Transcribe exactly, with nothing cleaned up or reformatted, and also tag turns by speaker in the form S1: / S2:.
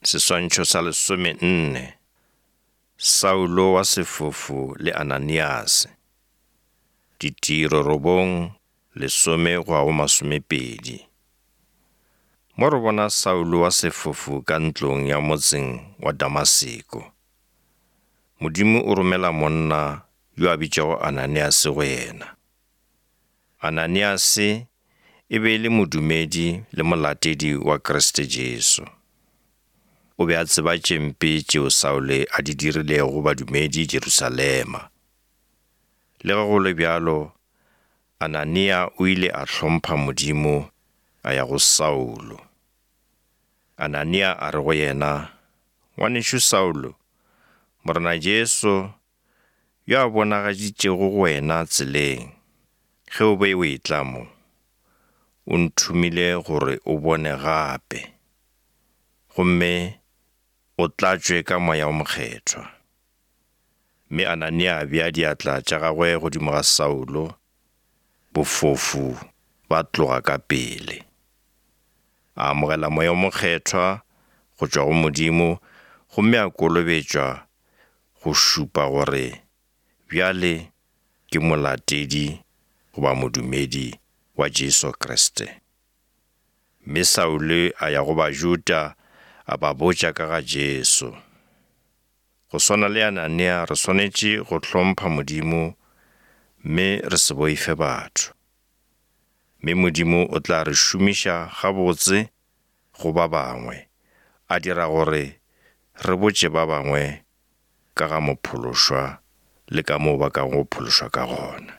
S1: Seswantšho sa lesomenne, Saulo wa sefofu le Ananiase. Ditiro robong, lesome go ya go masomepedi. Mo re bona Saulo wa sefofu ka ntlong ya motseng wa Damaseko. Modimo o romela monna yo a bitšwago Ananiase go yena. Ananiase e be e le modumedi le molatedi wa Kriste Jesu. O be a tseba tše mpe tšeo Saule a di dirilego badumedi Jerusalema. Le ge go le bjalo, Anania o ile a hlompha Modimo a ya go Saulo. Anania a re go yena, "Ngwanešo Saulo, Morena Jesu yo a bonagaditšego go wena tseleng, ge o be o etla mo, o nthomile gore o bone gape, gomme o tlatšwe ka Moya o Mokgethwa." Mme Anania a bea diatla tša gagwe godimo ga Saulo, bofofu ba tloga ka pele. A amogela Moya o Mokgethwa go tšwa go Modimo, gomme a kolobetšwa go šupa gore bjale ke molatedi goba modumedi wa Jesu Kriste. Mme Saule a ya go Bajuda a ba botša ka ga Jesu. Go swana le Anania re swanetše go hlompha Modimo mme re se boife batho. Mme Modimo o tla re šomiša gabotse go ba bangwe, a dira gore re botše ba bangwe ka ga mophološwa le ka moo ba kago phološwa ka gona.